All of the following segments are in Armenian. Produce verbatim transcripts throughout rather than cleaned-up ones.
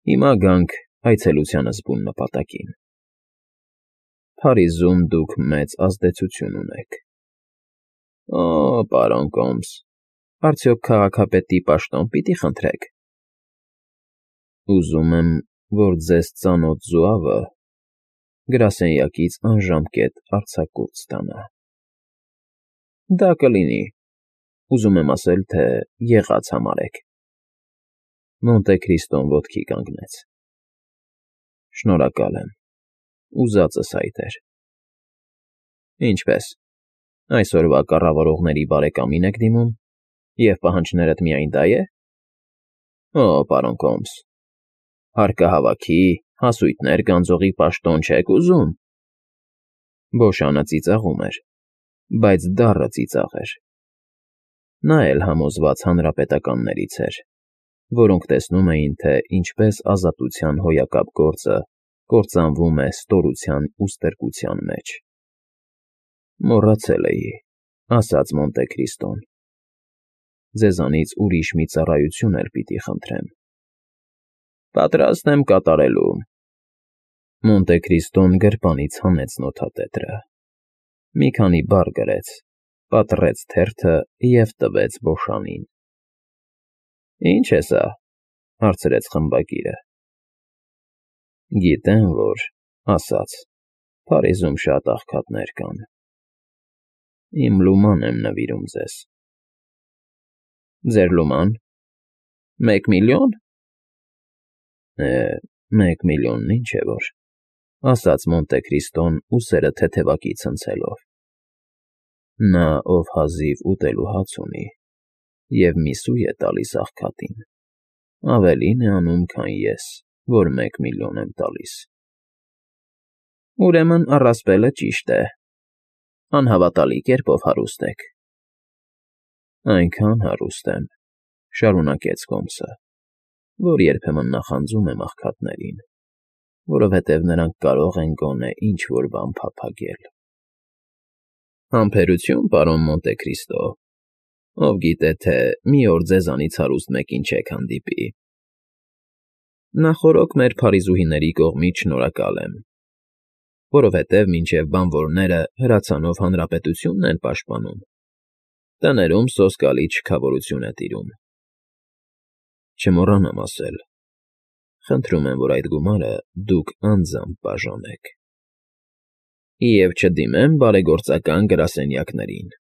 Հիմա գանք այցելությանս բուն նպատակին. Փարիզում դուք մեծ ազդեցություն ունեք։ ֊ Օ՜, պարոն Կոմս, արդյոք քաղաքապետի պաշտոն պիտի խնդրեք։ ֊ Ուզում եմ, որ ձեզ ծանոթ զուավը գրասենյակից անժամկետ արձակուրդ ստանա։ ֊ Դա կլինի, ուզում եմ ասել, թե եղած համարեք։ Մոնտե Քրիստոն ոտքի կանգնեց։ ֊ Շնորհակալ եմ, ուզածս այդ էր։ ֊ Ինչպե՞ս, այսօրվա կառավարողների բարեկամի՞ն եք դիմում, և պահանջներդ միայն դա է։ ֊ Օ, պարոն Կոմս, հարկահավաքի, հասույթներ գանձողի պաշտոն չեք ուզում։ Բոշանը ծիծաղում էր, բայց դառը ծիծաղ էր։ Նա էլ համոզված հանրապետականներից էր, որոնք տեսնում էին, թե ինչպես ազատության հոյակապ գործը կործանվում է ստորության ու ստրկության մեջ։ ֊ Մոռացել էի,֊ ասաց Մոնտե Քրիստոն,֊ ձեզանից ուրիշ մի ծառայություն էլ պիտի խնդրեմ։ ֊ Պատրաստ եմ կատարելու։ Մոնտե Քրիստոն գրպանից հանեց նոթատետրը, մի քանի բառ գրեց, պատռեց թերթը և տվեց Բոշանին։ ֊ Ի՞նչ է սա,֊ հարցրեց խմբագիրը։ ֊ Գիտեմ, որ,֊ ասաց,֊ Փարիզում շատ աղքատներ կան։ Իմ լուման եմ նվիրում ձեզ։ ֊ Ձեր լուման… Մեկ միլիո՞ն… Է, մեկ միլիոնն ինչ է որ,֊ ասաց Մոնտե Քրիստոն ուսերը թեթևակի ցնցելով։ Նա, ով հազիվ ուտելու հաց ունի և մի սուй է տալիս աղքատին, ավելին է անում, քան ես, որ մեկ միլիոն եմ տալիս։ ֊ Ուրեմն առասպելը ճիշտ է, անհավատալի կերպով հարուստ եք։ ֊ Այնքան հարուստ եմ,֊ շարունակեց Հոմսը,֊ որ երբեմն նախանձում եմ աղքատներին, որովհետև նրանք կարող են գոնե ինչ֊որ բան փափագել։ ֊ Համբերություն, պարոն Մոնտե Քրիստո, ով գիտե, թե մի օր ձեզանից հարուստ մեկին չեք հանդիպի։ Նախօրոք մեր փարիզուհիների կողմից շնորհակալ եմ, որովհետև մինչև բանվորները հրացանով հանրապետությունն են պաշտպանում, տներում սոսկալի չքավորություն է տիրում։ Չմոռանամ ասել, խնդրում եմ, որ այդ գումարը դուք անձամբ բաժանեք։ Եվ չդիմեմ բարեգործական գրասենյակներին։ ֊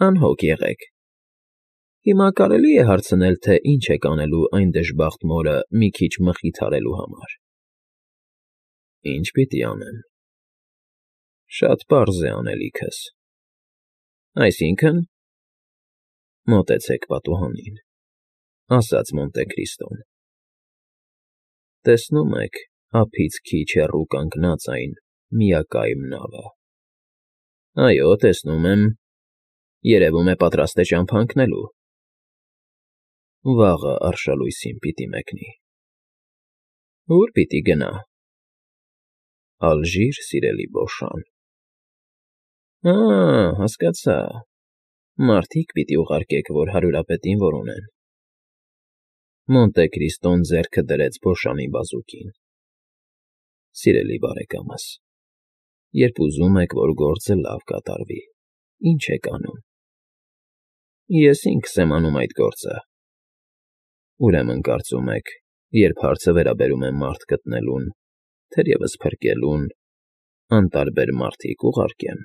Անհոգ եղեք։ Հիմա կարելի՞ է հարցնել, թե ինչ եք անելու այն դժբախտ մորը մի քիչ մխիթարելու համար։ ֊ Ի՞նչ պիտի անեմ։ ֊ Շատ պարզ է անելիքս։ ֊ Այսինքն… Մոտեցեք պատուհանին,֊ ասաց Մոնտե Քրիստոն։ Տեսնում եք ափից քիչ հեռու կանգնած այն միակայմ նավը։ ֊ Այո, տեսնում եմ, երևում է պատրաստ է ճամփա ընկնելու։ ֊ Վաղը արշալույսին պիտի մեկնի։ ֊ Ո՞ւր պիտի գնա։ ֊ Ալժիր, սիրելի Բոշան։ ֊ Ա՜, հասկացա, մարդիկ պիտի ուղարկեք, որ հարյուրապետին որոնեն։ Մոնտե Քրիստոն ձեռքը դրեց Բոշանի բազուկին։ ֊ Սիրելի բարեկամս, երբ ուզում եք, որ գործը լավ կատարվի, ի՞նչ եք անում։ ֊ Ես ինքս եմ անում այդ գործը։ ֊ Ուրեմն կարծում եք, երբ հարցը վերաբերում է մարդ գտնելուն, թերևս փրկելուն, անտարբեր մարդիկ ուղարկեմ։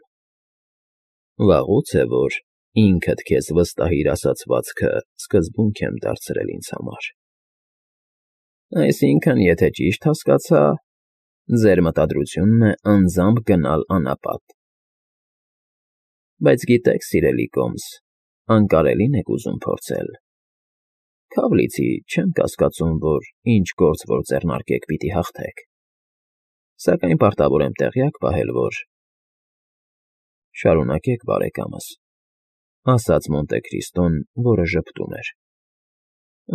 Վաղուց է, որ ինքդ քեզ վստահիր ասացվածքը սկզբունք եմ դարձրել ինձ համար։ ֊ Այսինքն, եթե ճիշտ հասկացա, ձեր մտադրությունն է անձամբ գնալ անապատ։ ֊ Բայց գիտեք, սիրելի Կոմս, անկարելին եք ուզում փորձել։ Քավ լիցի չեմ կասկածում, որ ինչ գործ որ ձեռնարկեք, պիտի հաղթեք, սակայն պարտավոր եմ տեղյակ պահել, որ… ֊ Շարունակեք, բարեկամս,֊ ասաց Մոնտե Քրիստոն, որը ժպտում էր։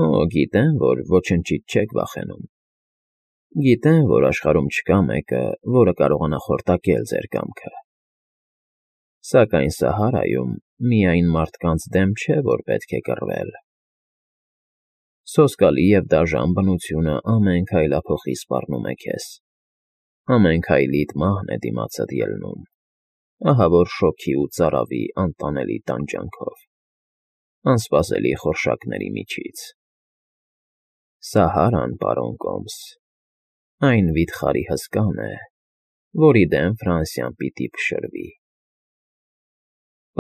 ֊ Օ, գիտեմ, որ ոչնչից չեք վախենում։ Գիտեմ, որ աշխարհում չկա մեկը, որը կարողանա խորտակել ձեր կամքը։ Սակայն Սահարայում միայն մարդկանց դեմ չէ, որ պետք է կռվել։ Սոսկալի և դաժան բնությունը ամեն քայլափոխի սպառնում է քեզ, ամեն քայլիդ մահն է դիմացդ ելնում, ահավոր շոգի ու ծարավի անտանելի տանջանքով, անսպասելի խորշակների միջից։ Սահարան, պարոն Կոմս, այն վիթխարի հսկան է, որի դեմ Ֆրանսիան պիտի փշրվի։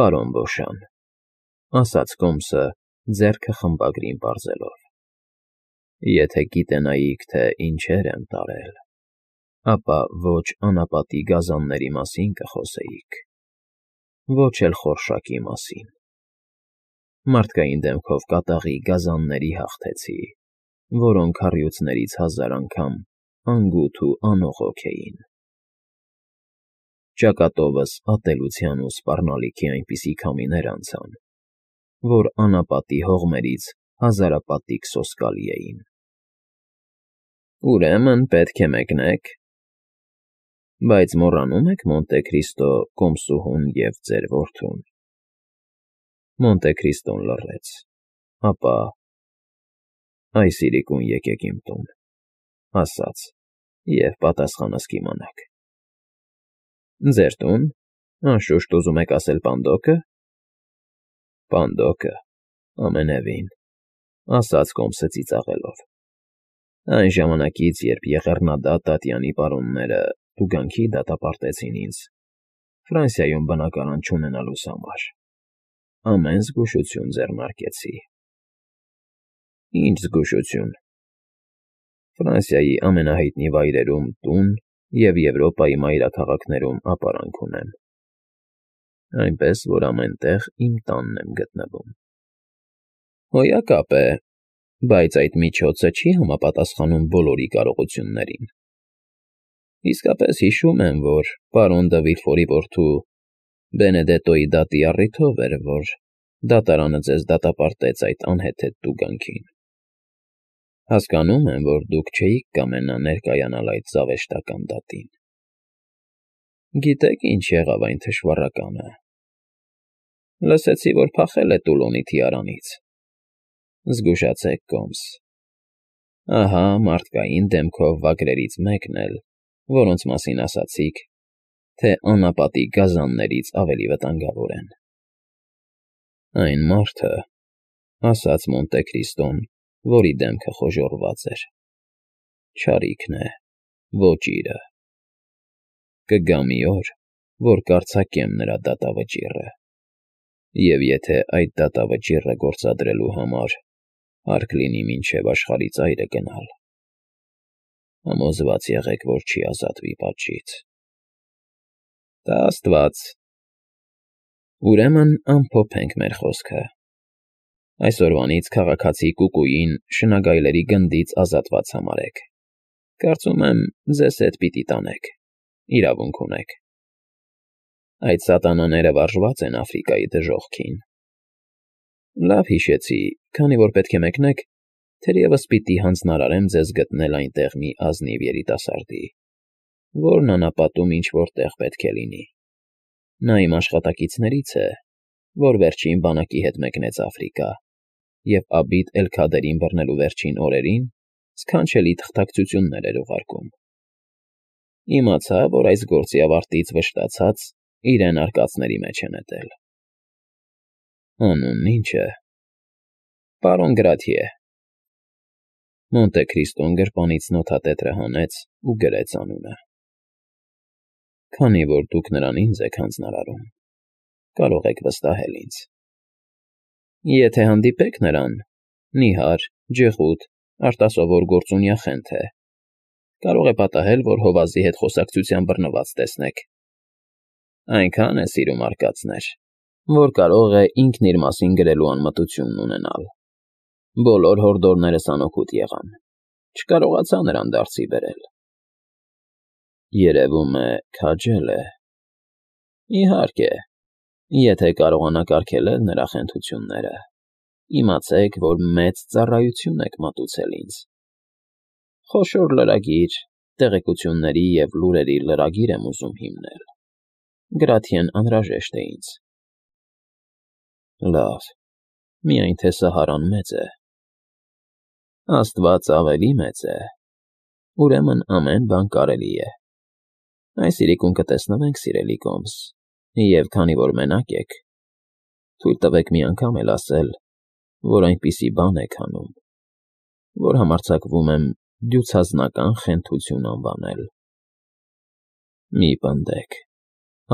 Պարոն Բոշան, ասաց Կոմսը ձեռքը խմբագրին պարզելով, եթե գիտենայիք, թե ինչեր եմ տարել, ապա ոչ անապատի գազանների մասին կխոսեիք, ոչ էլ խորշակի մասին։ Մարդկային դեմքով կատաղի գազանների հաղթեցի, որոնք առյուծներից հազար անգամ անգութ ու անողոք էին։ Ճակատովս ատելության ու սպառնալիքի այնպիսի քամիներ անցան, որ անապատի հողմերից հազարապատիկ սոսկալի էին։ Ուրեմն պետք է մեկնեք, բայց մոռանում եք Մոնտե Քրիստո կոմսուհուն և ձեր որդուն։ Մոնտե Քրիստոն լռեց, ապա. այս իրիկուն եկեք իմ տուն, ասաց, և պատասխանս կիմանաք։ Ձեր տուն, անշուշտ ուզում եք ասել Պանդոկը։ Պանդոկը, ամենևին, ասաց Կոմսը ծիծաղելով, այն ժամանակից, երբ եղեռնադատ Տատյանի պարոնները տուգանքի դատապարտեցին ինձ Ֆրանսիայում բնակարան չունենալուս համար, ամեն զգուշություն ձեռնարկեցի։ Ինչ զգուշություն։ Ֆրանսիայի ամենահայտնի վայրերում տուն և Եվրոպայի մայրաքաղաքներում ապարանք ունեմ, այնպես որ ամեն տեղ իմ տանն եմ գտնվում։ Հոյակապ է, բայց այդ միջոցը չի համապատասխանում բոլորի կարողություններին։ Իսկապես հիշում եմ, որ պարոն Դը Վիլֆորի որդու Բենեդետոյի դատի առիթով էր, որ դատարանը ձեզ դատապարտեց այդ անհեթեթ տուգանքին։ Հասկանում եմ, որ դուք չէիք կամենա ներկայանալ այդ զավեշտական դատին։ Գիտե՞ք ինչ եղավ այն թշվառականը։ Լսեցի, որ փախել է Տուլոնի թիարանից։ Զգուշացեք, Կոմս։ Ահա մարդկային դեմքով վագրերից մեկն էլ, որոնց մասին ասացիք, թե անապատի գազաններից ավելի վտանգավոր են։ Այն մարդը, ասաց Մոնտե Քրիստոն, որի դեմքը խոժոռված էր, չարիքն է, ոչ իրը։ Կգա մի օր, որ կարձակեմ նրա դատավճիռը, և եթե այդ դատավճիռը գործադրելու համար հարկ լինի մինչև աշխարհի ծայրը գնալ, համոզված եղեք, որ չի ազատվի պատժից։ Տա աստված։ Ուրեմն ամփոփենք մեր խոսքը։ Այսօրվանից քաղաքացի Կուկուին շնագայլերի գնդից ազատված համարեք։ Կարծում եմ, ձեզ հետ պիտի տանեք, իրավունք ունեք։ Այդ սատանաները վարժված են Աֆրիկայի դժոխքին։ Լավ հիշեցի, քանի որ պետք է մեկնեք, թերևս պիտի հանձնարարեմ ձեզ գտնել այնտեղ մի ազնիվ երիտասարդի, որն անապատում ինչ֊որ տեղ պետք է լինի։ Նա իմ աշխատակիցներից է, որ վերջին բանակի հետ մեկնեց Աֆրիկա, և Աբիդ էլ֊Քադերին բռնելու վերջին օրերին սքանչելի թղթակցություններ էր ուղարկում։ Իմացա, որ այս գործի ավարտից վշտացած իրեն արկածների մեջ է նետել։ Անունն ի՞նչ է։ Պարոն Գրաթիե։ Մոնտե Քրիստոն գրպանից նոթատետրը հանեց ու գրեց անունը։ Քանի որ դուք նրան ինձ եք հանձնարարում, կարող եք վստահել ինձ։ Եթե հանդիպեք նրան, նիհար, ջղուդ, արտասովոր գործունյա խենթ է, կարող է պատահել, որ հովազի հետ խոսակցության բռնված տեսնեք։ Այնքան է սիրում արկածներ, որ կարող է ինքն իր մասին գրելու անմտությունն ունենալ։ Բոլոր հորդորներս անօգուտ եղան, չկարողացա նրան դարձի բերել։ Երևում է, քաջել է։ Իհարկե, եթե կարողանաք արգելել նրա խենթությունները, իմացեք, որ մեծ ծառայություն եք մատուցել ինձ։ Խոշոր լրագիր, տեղեկությունների և լուրերի լրագիր եմ ուզում հիմնել։ Գրաթիեն անհրաժեշտ է ինձ։ Լավ, միայն թե Սահարան մեծ է։ Աստված ավելի մեծ է, ուրեմն ամեն բան կարելի է։ Այս իրիկուն կտեսնվենք, սիրելի Կոմս, և քանի որ մենակ եք, թույլ տվեք մի անգամ էլ ասել, որ այնպիսի բան եք անում, որ համարձակվում եմ դյուցազնական խենթություն անվանել։ ֊ Մի պնդեք,֊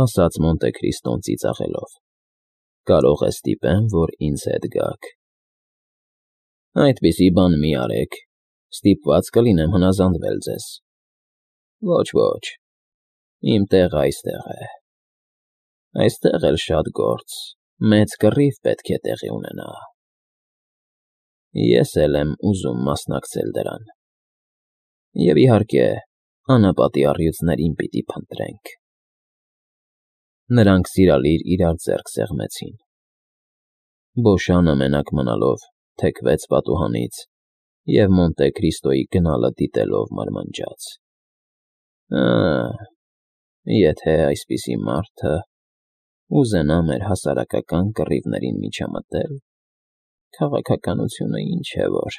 ասաց Մոնտե Քրիստոն ծիծաղելով,֊ կարող է ստիպեմ, որ ինձ հետ գաք։ ֊ Այդպիսի բան մի արեք, ստիպված կլինեմ հնազանդվել ձեզ։ ֊ Ոչ, ոչ, իմ տեղն այստեղ է։ Այստեղ էլ շատ գործ, մեծ կռիվ պետք է տեղի ունենա։ Ես էլ եմ ուզում մասնակցել դրան։ Եվ, իհարկե, անապատի առյուծներին պիտի փնտրենք։ Նրանք սիրալիր իրար ձեռք սեղմեցին։ Բոշանը մենակ մնալով թեքվեց պատուհանից և Մոնտե Քրիստոյի գնալը դիտելով մրմնջաց. «Ա՜, եթե այսպիսի մարդը ուզենա մեր հասարակական կռիվներին միջամտել, քաղաքականությունը ինչ է որ»։